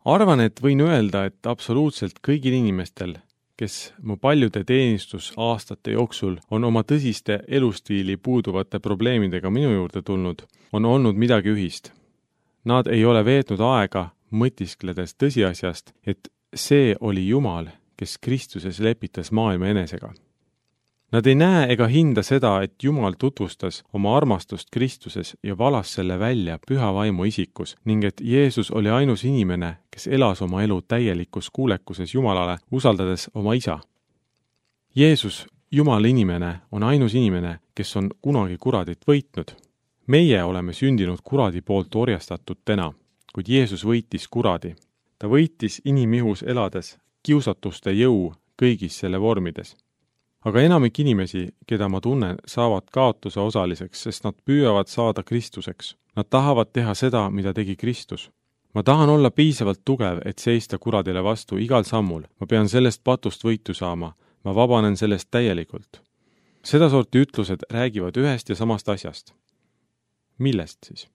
Arvan, et võin öelda, et absoluutselt kõigil inimestel, kes mu paljude teenistusaastate jooksul on oma tõsiste elustiili puuduvate probleemidega minu juurde tulnud, on olnud midagi ühist. Nad ei ole veetnud aega mõtiskledes tõsiasjast, et see oli Jumal, kes Kristuses lepitas maailma enesega. Nad ei näe ega hinda seda, et Jumal tutvustas oma armastust Kristuses ja valas selle välja püha vaimu isikus ning et Jeesus oli ainus inimene, kes elas oma elu täielikus kuulekuses Jumalale, usaldades oma isa. Jeesus, Jumala inimene, on ainus inimene, kes on kunagi kuradit võitnud. Meie oleme sündinud kuradi poolt orjastatud täna, kuid Jeesus võitis kuradi. Ta võitis inimihus elades kiusatuste jõu kõigis selle vormides. Aga enamik inimesi, keda ma tunnen, saavad kaotuse osaliseks, sest nad püüavad saada Kristuseks. Nad tahavad teha seda, mida tegi Kristus. Ma tahan olla piisavalt tugev, et seista kuradile vastu igal sammul. Ma pean sellest patust võitu saama. Ma vabanen sellest täielikult. Sedasorti ütlused räägivad ühest ja samast asjast. Millest siis?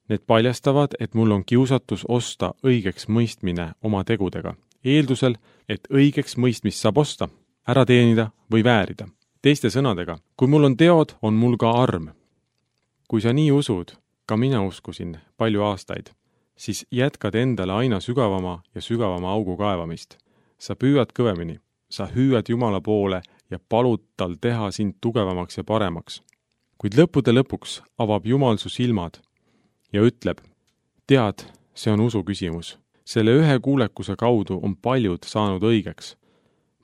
Need paljastavad, et mul on kiusatus osta õigeks mõistmine oma tegudega. Eeldusel, et õigeks mõistmist saab osta, ära teenida või väärida. Teiste sõnadega, kui mul on teod, on mul ka arm. Kui sa nii usud, ka mina uskusin palju aastaid, siis jätkad endale aina sügavama ja sügavama augu kaevamist. Sa püüad kõvemini, sa hüüad Jumala poole ja palud tal teha sind tugevamaks ja paremaks. Kuid lõppude lõpuks avab Jumal su silmad ja ütleb, tead, see on usu küsimus. Selle ühe kuulekuse kaudu on paljud saanud õigeks.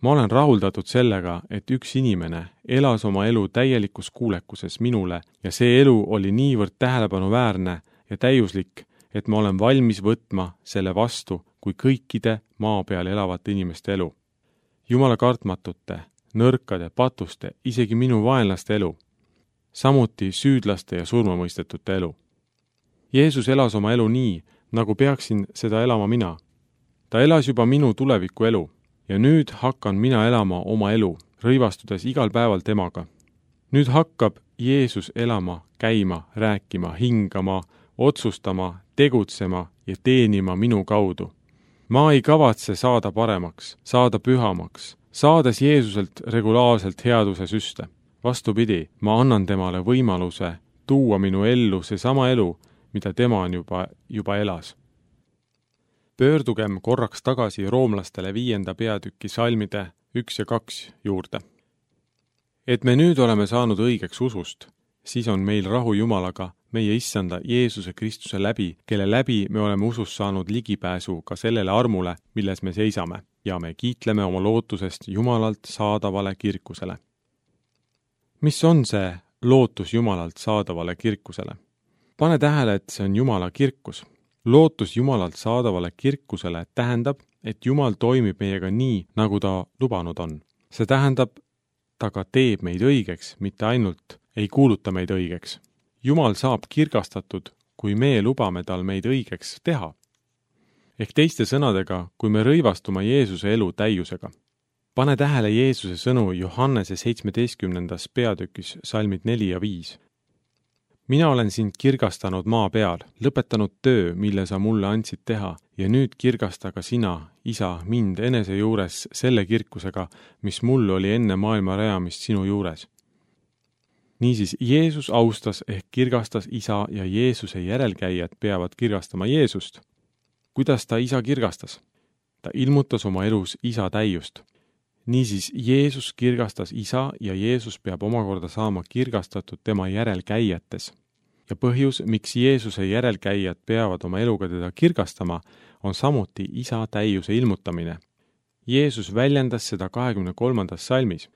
Ma olen rahuldatud sellega, et üks inimene elas oma elu täielikus kuulekuses minule ja see elu oli niivõrd tähelepanuväärne ja täiuslik, et ma olen valmis võtma selle vastu kui kõikide maa peal elavate inimeste elu. Jumala kartmatute, nõrkade, patuste, isegi minu vaenlaste elu. Samuti süüdlaste ja surmamõistetute elu. Jeesus elas oma elu nii, nagu peaksin seda elama mina. Ta elas juba minu tuleviku elu ja nüüd hakkan mina elama oma elu, rõivastudes igal päeval temaga. Nüüd hakkab Jeesus elama, käima, rääkima, hingama, otsustama, tegutsema ja teenima minu kaudu. Ma ei kavatse saada paremaks, saada pühamaks, saades Jeesuselt regulaarselt headuse süste. Vastupidi, ma annan temale võimaluse tuua minu ellu seesama elu, mida tema on juba elas. Pöördugem korraks tagasi roomlastele 5. peatüki salmide 1 ja 2 juurde. Et me nüüd oleme saanud õigeks usust, siis on meil rahu Jumalaga, meie issanda Jeesuse Kristuse läbi, kelle läbi me oleme usus saanud ligipääsu ka sellele armule, milles me seisame, ja me kiitleme oma lootusest Jumalalt saadavale kirkusele. Mis on see lootus Jumalalt saadavale kirkusele? Pane tähele, et see on Jumala kirkus. Lootus Jumalalt saadavale kirkusele tähendab, et Jumal toimib meiega nii, nagu ta lubanud on. See tähendab, ta ka teeb meid õigeks, mitte ainult ei kuuluta meid õigeks. Jumal saab kirgastatud, kui me lubame tal meid õigeks teha. Ehk teiste sõnadega, kui me rõivastume Jeesuse elu täiusega. Pane tähele Jeesuse sõnu Johannese 17. peatükis salmid 4 ja 5. Mina olen sind kirgastanud maa peal, lõpetanud töö, mille sa mulle andsid teha, ja nüüd kirgasta ka sina, isa, mind enese juures selle kirkusega, mis mul oli enne maailma rajamist sinu juures. Niisiis, Jeesus austas ehk kirgastas isa ja Jeesuse järelkäijad peavad kirgastama Jeesust. Kuidas ta isa kirgastas? Ta ilmutas oma elus isa täiust. Niisiis, Jeesus kirgastas isa ja Jeesus peab omakorda saama kirgastatud tema järelkäijates. Ja põhjus, miks Jeesuse järelkäijad peavad oma eluga teda kirgastama, on samuti isa täiuse ilmutamine. Jeesus väljendas seda 23. salmis.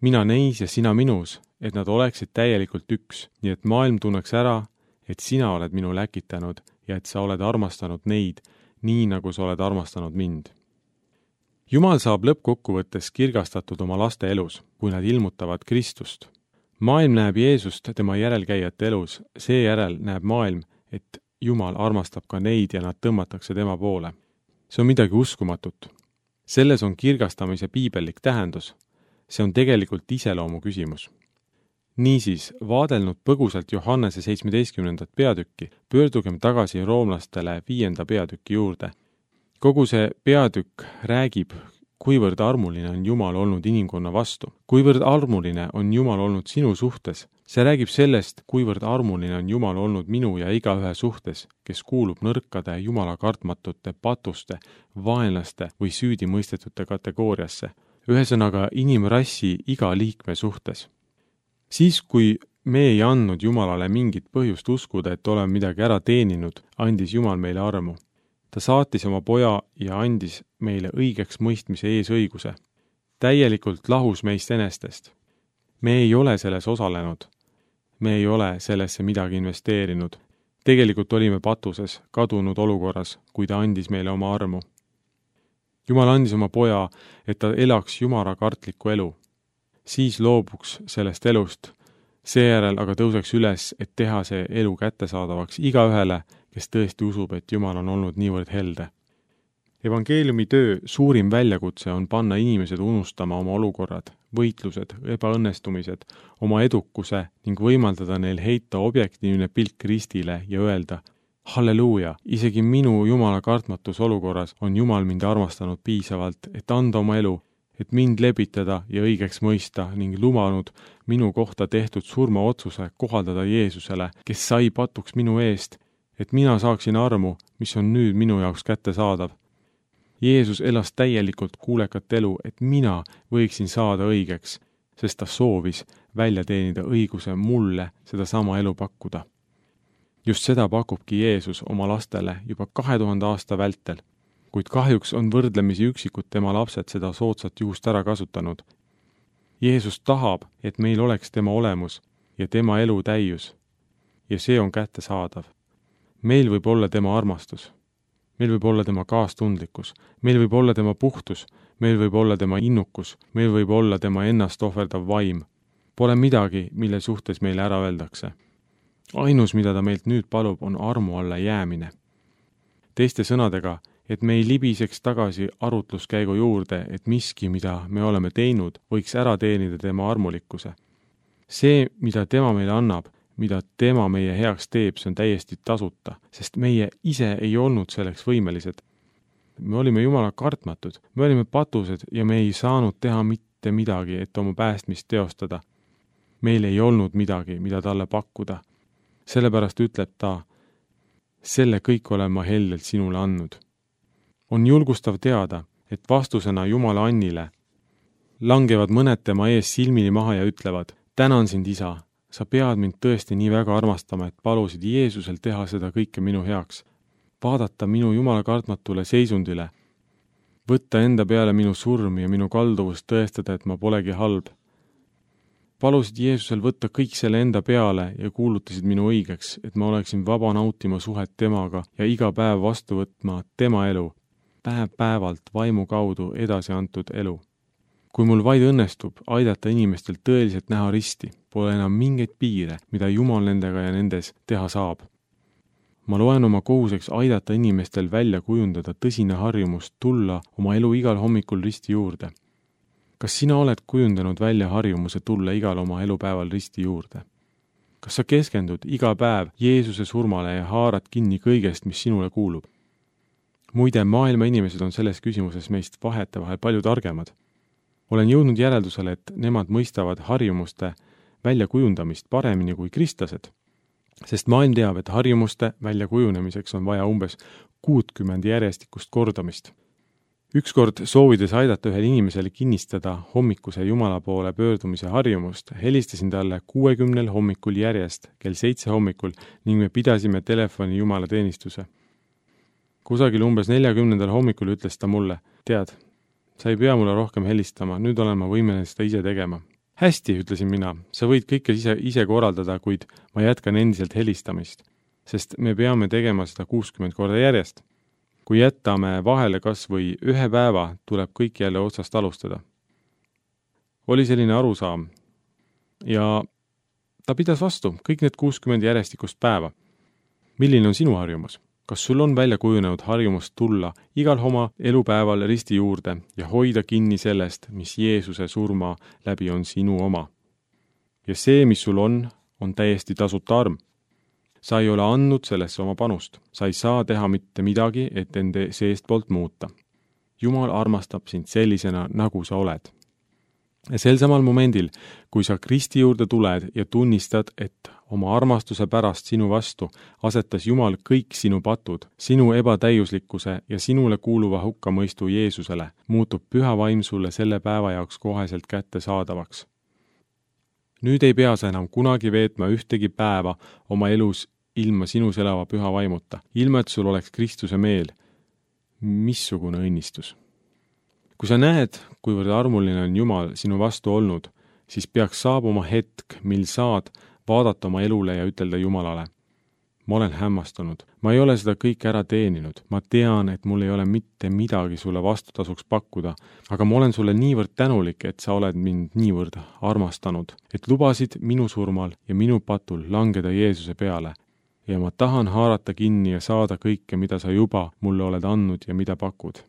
Mina neis ja sina minus, et nad oleksid täielikult üks, nii et maailm tunneks ära, et sina oled minu läkitanud ja et sa oled armastanud neid, nii nagu sa oled armastanud mind. Jumal saab lõppkokkuvõttes kirgastatud oma laste elus, kui nad ilmutavad Kristust. Maailm näeb Jeesust tema järelkäijate elus, seejärel näeb maailm, et Jumal armastab ka neid ja nad tõmmatakse tema poole. See on midagi uskumatut. Selles on kirgastamise piibellik tähendus. See on tegelikult iseloomu küsimus. Niisiis, vaadelnud põgusalt Johannese 17. peatükki, pöördugem tagasi roomlastele 5. peatüki juurde. Kogu see peatükk räägib, kuivõrd armuline on Jumal olnud inimkonna vastu, kuivõrd armuline on Jumal olnud sinu suhtes. See räägib sellest, kuivõrd armuline on Jumal olnud minu ja igaühe suhtes, kes kuulub nõrkade, Jumala kartmatute, patuste, vaenlaste või süüdimõistetute kategooriasse. Ühesõnaga inimrassi iga liikme suhtes. Siis, kui me ei andnud Jumalale mingit põhjust uskuda, et oleme midagi ära teeninud, andis Jumal meile armu. Ta saatis oma poja ja andis meile õigeks mõistmise eesõiguse. Täielikult lahus meist enestest. Me ei ole selles osalenud. Me ei ole sellesse midagi investeerinud. Tegelikult olime patuses, kadunud olukorras, kui ta andis meile oma armu. Jumal andis oma poja, et ta elaks jumalakartlikku elu. Siis loobuks sellest elust. Seejärel aga tõuseks üles, et teha see elu kättesaadavaks igaühele, kes tõesti usub, et Jumal on olnud niivõrd helde. Evangeeliumi töö suurim väljakutse on panna inimesed unustama oma olukorrad, võitlused, ebaõnnestumised, oma edukuse ning võimaldada neil heita objektiivne pilk ristile ja öelda: halleluuja, isegi minu Jumala kartmatus olukorras on Jumal mind armastanud piisavalt, et anda oma elu, et mind lepitada ja õigeks mõista ning lubanud minu kohta tehtud surmaotsuse kohaldada Jeesusele, kes sai patuks minu eest, et mina saaksin armu, mis on nüüd minu jaoks kättesaadav. Jeesus elas täielikult kuulekat elu, et mina võiksin saada õigeks, sest ta soovis välja teenida õiguse mulle sedasama elu pakkuda. Just seda pakubki Jeesus oma lastele juba 2000 aasta vältel, kuid kahjuks on võrdlemisi üksikud tema lapsed seda soodsat juhust ära kasutanud. Jeesus tahab, et meil oleks tema olemus ja tema elu täius, ja see on kättesaadav. Meil võib olla tema armastus. Meil võib olla tema kaastundlikkus, meil võib olla tema puhtus, meil võib olla tema innukus, meil võib olla tema ennast ohverdav vaim. Pole midagi, mille suhtes meile ära öeldakse. Ainus, mida ta meilt nüüd palub, on armu alla jäämine. Teiste sõnadega, et me ei libiseks tagasi arutluskäigu juurde, et miski, mida me oleme teinud, võiks ära teenida tema armulikkuse. See, mida tema meile annab, mida tema meie heaks teeb, see on täiesti tasuta, sest meie ise ei olnud selleks võimelised. Me olime Jumala kartmatud, me olime patused ja me ei saanud teha mitte midagi, et oma päästmist teostada. Meil ei olnud midagi, mida talle pakkuda. Sellepärast ütleb ta: selle kõik olen ma heldelt sinule andnud. On julgustav teada, et vastusena Jumala annile langevad mõned tema ees silmini maha ja ütlevad: tänan sind, isa. Sa pead mind tõesti nii väga armastama, et palusid Jeesusel teha seda kõike minu heaks. Vaadata minu Jumala kartmatule seisundile. Võtta enda peale minu surm ja minu kalduvust tõestada, et ma polegi halb. Palusid Jeesusel võtta kõik selle enda peale ja kuulutasid minu õigeks, et ma oleksin vaba nautima suhet temaga ja iga päev vastu võtma tema elu, päev-päevalt vaimu kaudu edasi antud elu. Kui mul vaid õnnestub aidata inimestel tõeliselt näha risti, pole enam mingeid piire, mida Jumal nendega ja nendes teha saab. Ma loen oma kohuseks aidata inimestel välja kujundada tõsine harjumus tulla oma elu igal hommikul risti juurde. Kas sina oled kujundanud välja harjumuse tulla igal oma elupäeval risti juurde? Kas sa keskendud iga päev Jeesuse surmale ja haarad kinni kõigest, mis sinule kuulub? Muide, maailma inimesed on selles küsimuses meist vahetevahel palju targemad. Olen jõudnud järeldusele, et nemad mõistavad harjumuste väljakujundamist paremini kui kristlased, sest maailm teab, et harjumuste väljakujunemiseks on vaja umbes 60 järjestikust kordamist. Ükskord soovides aidata ühel inimesele kinnistada hommikuse Jumala poole pöördumise harjumust, helistasin talle 60 hommikul järjest kell 7 hommikul ning me pidasime telefoni Jumala teenistuse. Kusagil umbes 40. hommikul ütles ta mulle: tead, sa ei pea mulle rohkem helistama, nüüd olen ma võimeline seda ise tegema. Hästi, ütlesin mina, sa võid kõike ise korraldada, kuid ma jätkan endiselt helistamist, sest me peame tegema seda 60 korda järjest. Kui jätame vahele kas või ühe päeva, tuleb kõik jälle otsast alustada. Oli selline arusaam ja ta pidas vastu kõik need 60 järjestikust päeva. Milline on sinu harjumus? Kas sul on välja kujunenud harjumus tulla igal oma elupäeval risti juurde ja hoida kinni sellest, mis Jeesuse surma läbi on sinu oma? Ja see, mis sul on täiesti tasuta arm. sa ei ole andnud sellesse oma panust. Sa ei saa teha mitte midagi, et ende seestpoolt muuta. Jumal armastab sind sellisena, nagu sa oled. Ja sel samal momendil, kui sa Kristi juurde tuled ja tunnistad, et oma armastuse pärast sinu vastu asetas Jumal kõik sinu patud, sinu ebatäiuslikkuse ja sinule kuuluva hukkamõistu Jeesusele, muutub Püha Vaim sulle selle päeva jaoks koheselt kättesaadavaks. Nüüd ei pea sa enam kunagi veetma ühtegi päeva oma elus ilma sinus elava Püha Vaimuta, ilma et sul oleks Kristuse meel. Missugune õnnistus! Kui sa näed, kuivõrd armuline on Jumal sinu vastu olnud, siis peaks saabuma hetk, mil saad vaadata oma elule ja ütelda Jumalale: ma olen hämmastunud, ma ei ole seda kõike ära teeninud, ma tean, et mul ei ole mitte midagi sulle vastutasuks pakkuda, aga ma olen sulle niivõrd tänulik, et sa oled mind niivõrd armastanud, et lubasid minu surmal ja minu patul langeda Jeesuse peale ja ma tahan haarata kinni ja saada kõike, mida sa juba mulle oled andnud ja mida pakud.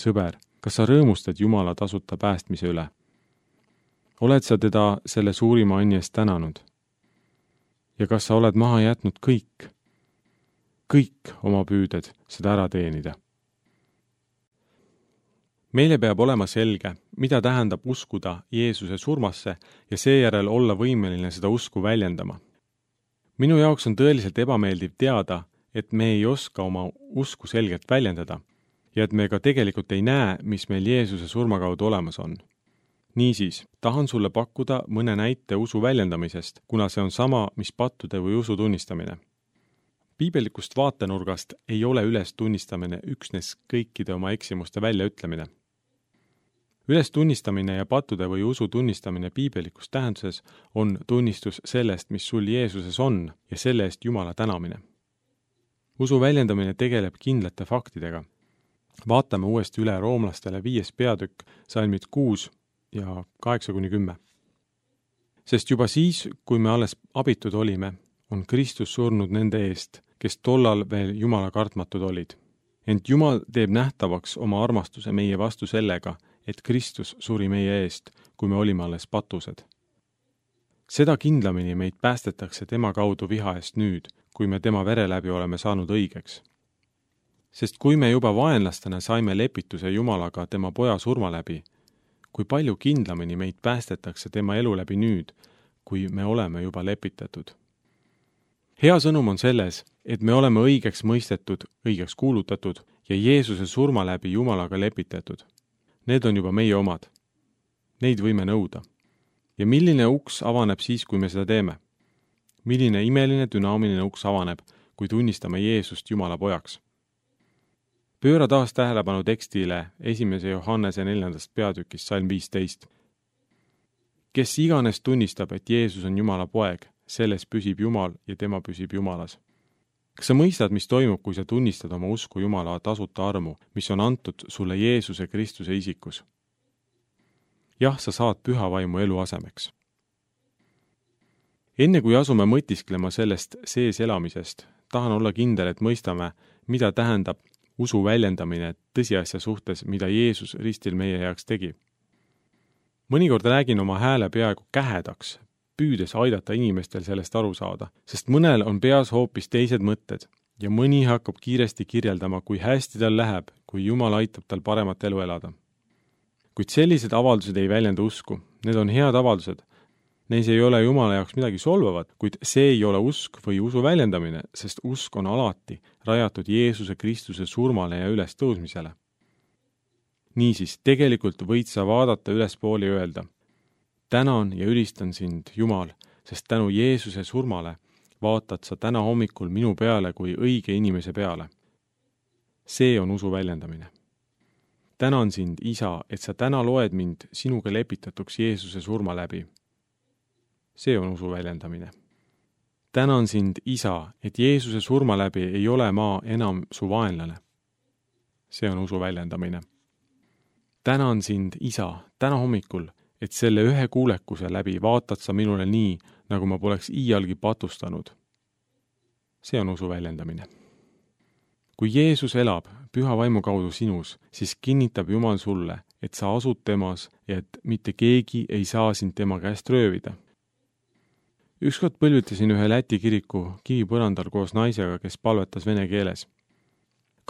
Sõber, kas sa rõõmustad Jumala tasuta päästmise üle? Oled sa teda selle suurima anni eest tänanud? Ja kas sa oled maha jätnud kõik oma püüded seda ära teenida? Meile peab olema selge, mida tähendab uskuda Jeesuse surmasse ja seejärel olla võimeline seda usku väljendama. Minu jaoks on tõeliselt ebameeldiv teada, et me ei oska oma usku selgelt väljendada ja et me ka tegelikult ei näe, mis meil Jeesuse surma kaudu olemas on. Niisiis, tahan sulle pakkuda mõne näite usu väljendamisest, kuna see on sama, mis pattude või usu tunnistamine. Piibellikust vaatenurgast ei ole üles tunnistamine üksnes kõikide oma eksimuste väljaütlemine. Üles tunnistamine ja pattude või usu tunnistamine piibelikus tähenduses on tunnistus sellest, mis sul Jeesuses on ja selle eest Jumala tänamine. Usu väljendamine tegeleb kindlate faktidega. Vaatame uuesti üle roomlastele 5. peatükk, salmid 6 ja 8-10. Sest juba siis, kui me alles abitud olime, on Kristus surnud nende eest, kes tollal veel Jumala kartmatud olid. Ent Jumal teeb nähtavaks oma armastuse meie vastu sellega, et Kristus suri meie eest, kui me olime alles patused. Seda kindlamini meid päästetakse tema kaudu viha eest nüüd, kui me tema vere läbi oleme saanud õigeks. Sest kui me juba vaenlastena saime lepituse Jumalaga tema poja surma läbi, kui palju kindlamini meid päästetakse tema elu läbi nüüd, kui me oleme juba lepitatud. Hea sõnum on selles, et me oleme õigeks mõistetud, õigeks kuulutatud ja Jeesuse surma läbi Jumalaga lepitatud. Need on juba meie omad. Neid võime nõuda. Ja milline uks avaneb siis, kui me seda teeme? Milline imeline dünaamiline uks avaneb, kui tunnistame Jeesust Jumala pojaks? Pööra taas tähelepanu tekstile 1. Johannese 4. peatükist salm 15. Kes iganes tunnistab, et Jeesus on Jumala poeg, selles püsib Jumal ja tema püsib Jumalas. Kas sa mõistad, mis toimub, kui sa tunnistad oma usku Jumala tasuta armu, mis on antud sulle Jeesuse Kristuse isikus? Jah, sa saad Püha Vaimu elu asemeks. Enne kui asume mõtisklema sellest sees elamisest, tahan olla kindel, et mõistame, mida tähendab usu väljendamine tõsiasja suhtes, mida Jeesus ristil meie heaks tegi. Mõnikord räägin oma hääle peaaegu kähedaks, püüdes aidata inimestel sellest aru saada, sest mõnel on peas hoopis teised mõtted ja mõni hakkab kiiresti kirjeldama, kui hästi tal läheb, kui Jumal aitab tal paremat elu elada. Kuid sellised avaldused ei väljenda usku, need on head avaldused. Neis ei ole Jumala jaoks midagi solvavat, kuid see ei ole usk või usu väljendamine, sest usk on alati rajatud Jeesuse Kristuse surmale ja üles tõusmisele. Niisiis, tegelikult võid sa vaadata ülespoole ja öelda: tänan ja ülistan sind, Jumal, sest tänu Jeesuse surmale vaatad sa täna hommikul minu peale kui õige inimese peale. See on usu väljendamine. Tänan sind, Isa, et sa täna loed mind sinuga lepitatuks Jeesuse surma läbi. See on usu väljendamine. Tänan sind, Isa, et Jeesuse surma läbi ei ole ma enam su vaenlane. See on usu väljendamine. Tänan sind, Isa, täna hommikul, et selle ühe kuulekuse läbi vaatad sa minule nii, nagu ma poleks iialgi patustanud. See on usu väljendamine. Kui Jeesus elab Püha Vaimu kaudu sinus, siis kinnitab Jumal sulle, et sa asud temas ja et mitte keegi ei saa sind tema käest röövida. Ükskord põlvitasin ühe Läti kiriku kivipõrandal koos naisega, kes palvetas vene keeles.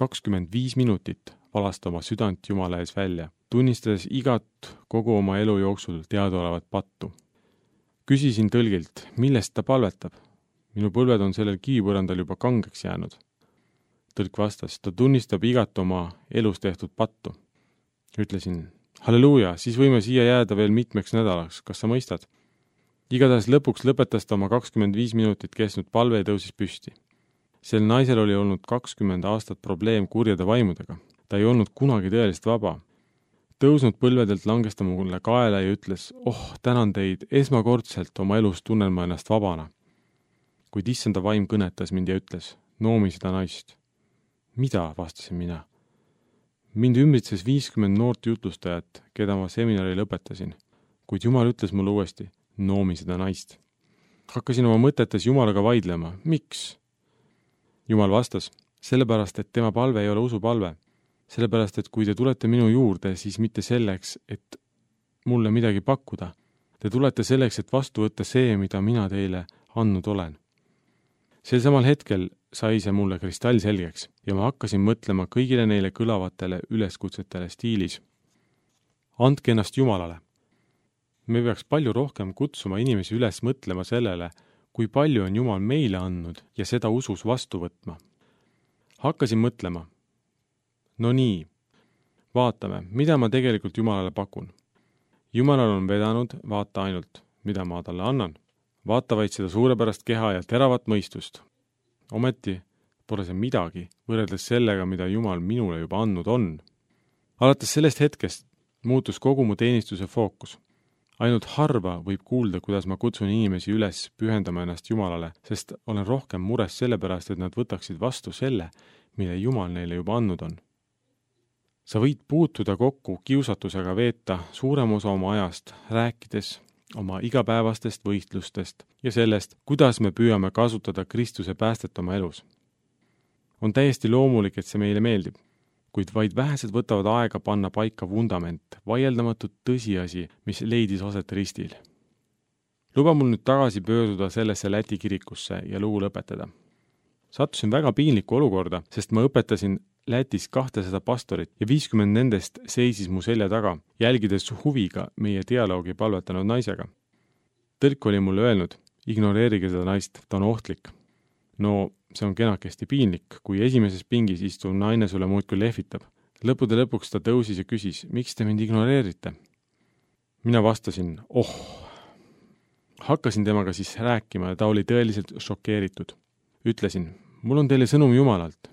25 minutit valas ta oma südant Jumala ees välja, tunnistades igat kogu oma elu jooksul teadaolevat pattu. Küsisin tõlgilt, millest ta palvetab. Minu põlved on sellel kivipõrandal juba kangeks jäänud. Tõlk vastas, ta tunnistab igat oma elus tehtud pattu. Ütlesin, halleluuja, siis võime siia jääda veel mitmeks nädalaks, kas sa mõistad? Igatahes lõpuks lõpetas ta oma 25 minutit kestnud palve ja tõusis püsti. Sel naisel oli olnud 20 aastat probleem kurjade vaimudega. Ta ei olnud kunagi tõeliselt vaba. Tõusnud põlvedelt langes ta mulle kaela ja ütles, tänan teid, esmakordselt oma elus tunnen ma ennast vabana. Kuid issanda vaim kõnetas mind ja ütles, noomi seda naist. Mida, vastasin mina. Mind ümbritses 50 noort jutlustajat, keda ma seminari lõpetasin, kuid Jumal ütles mulle uuesti, noomi seda naist. Hakkasin oma mõtetes Jumalaga vaidlema. Miks? Jumal vastas, sellepärast, et tema palve ei ole usupalve. Sellepärast, et kui te tulete minu juurde, siis mitte selleks, et mulle midagi pakkuda. Te tulete selleks, et vastu võtta see, mida mina teile andnud olen. Sel samal hetkel sai see mulle kristallselgeks ja ma hakkasin mõtlema kõigile neile kõlavatele üleskutsetele stiilis. Andke ennast Jumalale. Me peaks palju rohkem kutsuma inimesi üles mõtlema sellele, kui palju on Jumal meile andnud ja seda usus vastu võtma. Hakkasin mõtlema. No nii, vaatame, mida ma tegelikult Jumalale pakun. Jumalal on vedanud, vaata ainult, mida ma talle annan. Vaata vaid seda suurepärast keha ja teravat mõistust. Ometi pole see midagi võrreldes sellega, mida Jumal minule juba andnud on. Alates sellest hetkest muutus kogu mu teenistuse fookus. Ainult harva võib kuulda, kuidas ma kutsun inimesi üles pühendama ennast Jumalale, sest olen rohkem mures sellepärast, et nad võtaksid vastu selle, mille Jumal neile juba andnud on. Sa võid puutuda kokku kiusatusega veeta suurem osa oma ajast, rääkides oma igapäevastest võistlustest ja sellest, kuidas me püüame kasutada Kristuse päästet oma elus. On täiesti loomulik, et see meile meeldib, kuid vaid vähesed võtavad aega panna paika vundament, vaieldamatut tõsiasi, mis leidis aset ristil. Luba mul nüüd tagasi pöörduda sellesse Läti kirikusse ja lugu lõpetada. Sattusin väga piinlikku olukorda, sest ma õpetasin Lätis 200 pastorit ja 50 nendest seisis mu selja taga, jälgides huviga meie dialoogi palvetanud naisega. Tõlk oli mulle öelnud, ignoreerige seda naist, ta on ohtlik. No, see on kenakesti piinlik, kui esimeses pingis istuv naine sulle muudkui lehvitab. Lõppude lõpuks ta tõusis ja küsis, miks te mind ignoreerite? Mina vastasin, Hakkasin temaga siis rääkima ja ta oli tõeliselt šokeeritud. Ütlesin, mul on teile sõnum Jumalalt.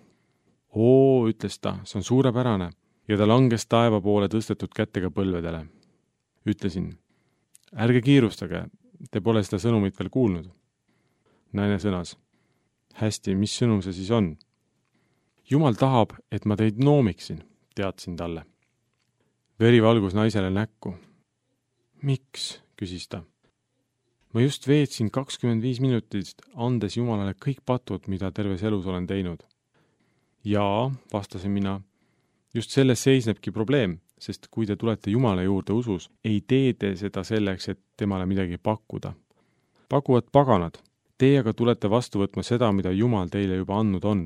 Ütles ta, see on suurepärane ja ta langes taeva poole tõstetud kättega põlvedele. Ütlesin, ärge kiirustage, te pole seda sõnumit veel kuulnud. Naine sõnas, hästi, mis sõnum see siis on? Jumal tahab, et ma teid noomiksin, teadsin talle. Veri valgus naisele näkku. Miks, küsis ta. Ma just veetsin 25 minutist, andes Jumalale kõik patud, mida terves elus olen teinud. Jaa, vastasin mina, just selles seisnebki probleem, sest kui te tulete Jumala juurde usus, ei tee te seda selleks, et temale midagi pakkuda. Pakuvad paganad, teie aga tulete vastu võtma seda, mida Jumal teile juba andnud on.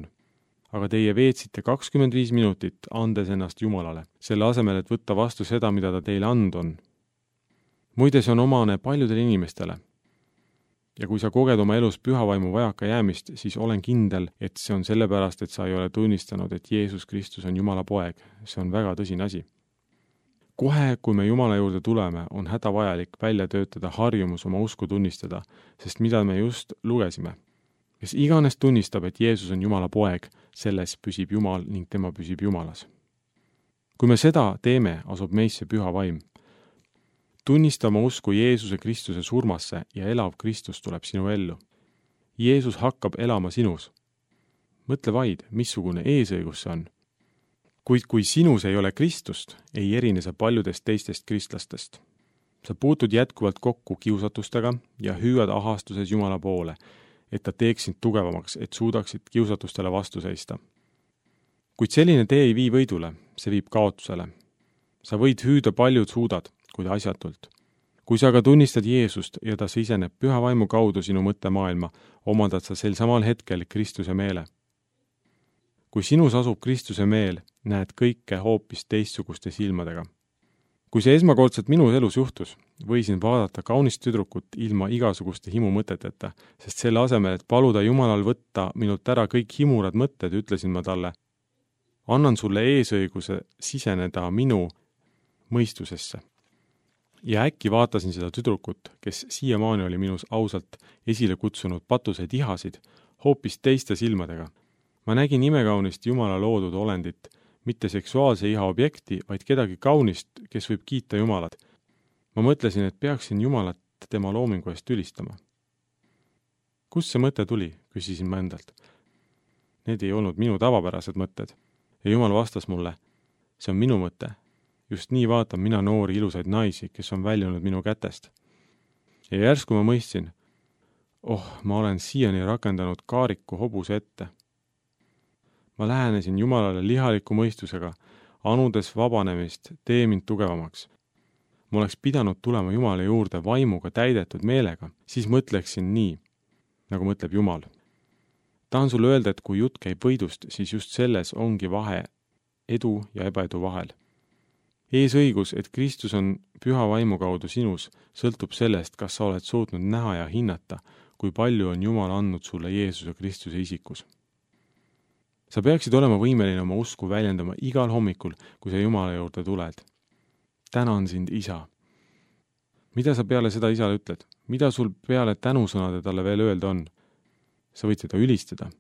Aga teie veetsite 25 minutit, andes ennast Jumalale, selle asemel, et võtta vastu seda, mida ta teile andnud on. Muide, see on omane paljudele inimestele. Ja kui sa koged oma elus pühavaimu vajaka jäämist, siis olen kindel, et see on sellepärast, et sa ei ole tunnistanud, et Jeesus Kristus on Jumala poeg. See on väga tõsine asi. Kohe, kui me Jumala juurde tuleme, on hädavajalik välja töötada harjumus oma usku tunnistada, sest mida me just lugesime. Kes iganes tunnistab, et Jeesus on Jumala poeg, selles püsib Jumal ning tema püsib Jumalas. Kui me seda teeme, asub meisse püha vaim. Tunnista oma usku Jeesuse Kristuse surmasse ja elav Kristus tuleb sinu ellu. Jeesus hakkab elama sinus. Mõtle vaid, missugune eesõigus see on. Kuid kui sinus ei ole Kristust, ei erine sa paljudest teistest kristlastest. Sa puutud jätkuvalt kokku kiusatustega ja hüüad ahastuses Jumala poole, et ta teeks sind tugevamaks, et suudaksid kiusatustele vastu seista. Kuid selline tee ei vii võidule, see viib kaotusele. Sa võid hüüda paljud suudad, kuid asjatult. kui sa aga tunnistad Jeesust ja ta siseneb Püha Vaimu kaudu sinu mõttemaailma, omandad sa sel samal hetkel Kristuse meele. Kui sinus asub Kristuse meel, näed kõike hoopis teistsuguste silmadega. Kui see esmakordselt minu elus juhtus, võisin vaadata kaunist tüdrukut ilma igasuguste himumõteteta, sest selle asemel, et paluda Jumalal võtta minult ära kõik himurad mõtted, ütlesin ma talle, annan sulle eesõiguse siseneda minu mõistusesse. Ja äkki vaatasin seda tüdrukut, kes siiamaani oli minus ausalt esile kutsunud patuseid ihasid, hoopis teiste silmadega. Ma nägin imekaunist Jumala loodud olendit, mitte seksuaalse iha objekti, vaid kedagi kaunist, kes võib kiita Jumalat. Ma mõtlesin, et peaksin Jumalat tema loomingu eest ülistama. Kust see mõte tuli, küsisin ma endalt. Need ei olnud minu tavapärased mõtted. Ja Jumal vastas mulle, see on minu mõte. Just nii vaatan mina noori ilusaid naisi, kes on väljunud minu kätest. Ja järsku ma mõistsin, ma olen siiani rakendanud kaariku hobuse ette. Ma lähenesin Jumalale lihaliku mõistusega, anudes vabanemist, tee mind tugevamaks. Ma oleks pidanud tulema Jumala juurde vaimuga täidetud meelega, siis mõtleksin nii, nagu mõtleb Jumal. Tahan sulle öelda, et kui jutt käib võidust, siis just selles ongi vahe edu ja ebaedu vahel. Eesõigus, et Kristus on Püha Vaimu kaudu sinus, sõltub sellest, kas sa oled suutnud näha ja hinnata, kui palju on Jumal andnud sulle Jeesuse Kristuse isikus. Sa peaksid olema võimeline oma usku väljendama igal hommikul, kui sa Jumala juurde tuled. Tänan sind, Isa. Mida sa peale seda Isale ütled? Mida sul peale tänusõnade talle veel öelda on? Sa võid seda ülistada.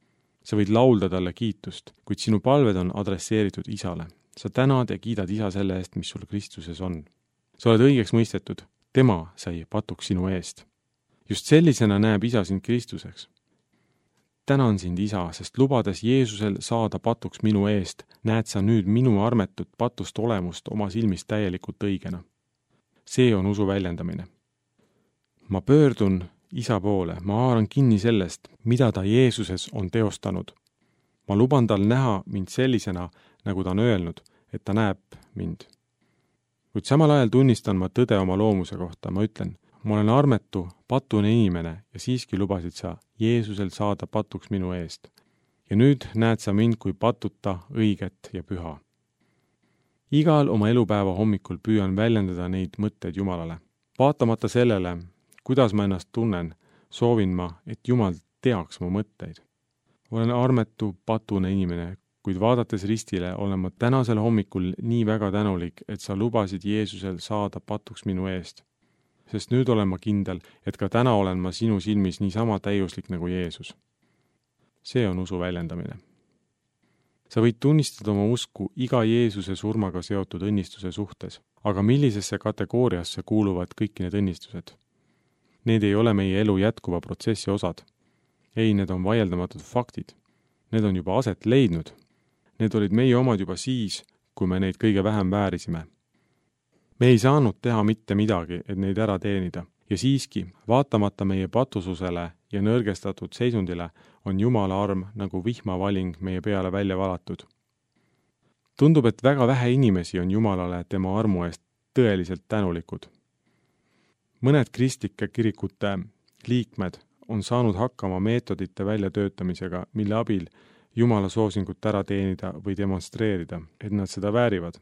Sa võid laulda talle kiitust, kuid sinu palved on adresseeritud Isale. Sa tänad ja kiidad Isa selle eest, mis sul Kristuses on. Sa oled õigeks mõistetud. Tema sai patuks sinu eest. Just sellisena näeb Isa sind Kristuseks. Tänan sind, Isa, sest lubades Jeesusel saada patuks minu eest, näed sa nüüd minu armetut patust olemust oma silmist täielikult õigena. See on usu väljendamine. Ma pöördun Isa poole, ma haaran kinni sellest, mida ta Jeesuses on teostanud. Ma luban tal näha mind sellisena, nagu ta on öelnud, et ta näeb mind. Kuid samal ajal tunnistan ma tõde oma loomuse kohta, ma ütlen, ma olen armetu, patune inimene ja siiski lubasid sa Jeesusel saada patuks minu eest. Ja nüüd näed sa mind kui patuta, õiget ja püha. Igal oma elupäeva hommikul püüan väljendada neid mõtteid Jumalale. Vaatamata sellele, kuidas ma ennast tunnen, soovin ma, et Jumal teaks mu mõtteid. Olen armetu, patune inimene, kuid vaadates ristile olen ma tänasel hommikul nii väga tänulik, et sa lubasid Jeesusel saada patuks minu eest. Sest nüüd olen ma kindel, et ka täna olen ma sinu silmis niisama täiuslik nagu Jeesus. See on usu väljendamine. Sa võid tunnistada oma usku iga Jeesuse surmaga seotud õnnistuse suhtes, aga millisesse kategooriasse kuuluvad kõik need õnnistused? Need ei ole meie elu jätkuva protsessi osad. Ei, need on vaieldamatud faktid. Need on juba aset leidnud. Need olid meie omad juba siis, kui me neid kõige vähem väärisime. Me ei saanud teha mitte midagi, et neid ära teenida. Ja siiski, vaatamata meie patususele ja nõrgestatud seisundile, on Jumala arm nagu vihmavaling meie peale välja valatud. Tundub, et väga vähe inimesi on Jumalale tema armu eest tõeliselt tänulikud. Mõned kristlike kirikute liikmed on saanud hakkama meetodite väljatöötamisega, mille abil Jumala soosingut ära teenida või demonstreerida, et nad seda väärivad.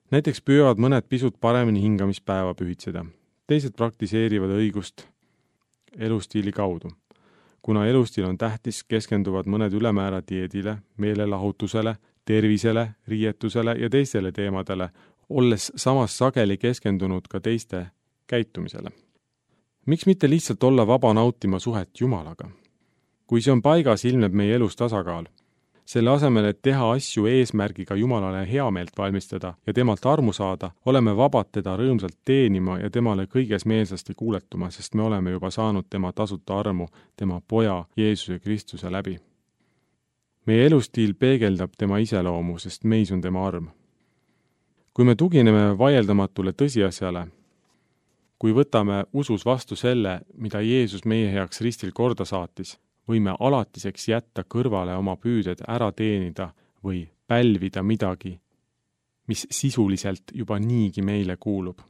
Näiteks püüavad mõned pisut paremini hingamispäeva pühitseda. Teised praktiseerivad õigust elustiili kaudu. Kuna elustiil on tähtis, keskenduvad mõned ülemäära dieedile, meelelahutusele, tervisele, riietusele ja teistele teemadele, olles samas sageli keskendunud ka teiste käitumisele. Miks mitte lihtsalt olla vaba nautima suhet Jumalaga? Kui see on paigas, ilmneb meie elus tasakaal. Selle asemel, et teha asju eesmärgiga Jumalale heameelt valmistada ja temalt armu saada, oleme vabad teda rõõmsalt teenima ja temale kõiges meelsasti kuuletuma, sest me oleme juba saanud tema tasuta armu, tema poja Jeesuse Kristuse läbi. Meie elustiil peegeldab tema iseloomu, sest meis on tema arm. Kui me tugineme vaieldamatule tõsiasjale, kui võtame usus vastu selle, mida Jeesus meie heaks ristil korda saatis, võime alatiseks jätta kõrvale oma püüded ära teenida või pälvida midagi, mis sisuliselt juba niigi meile kuulub.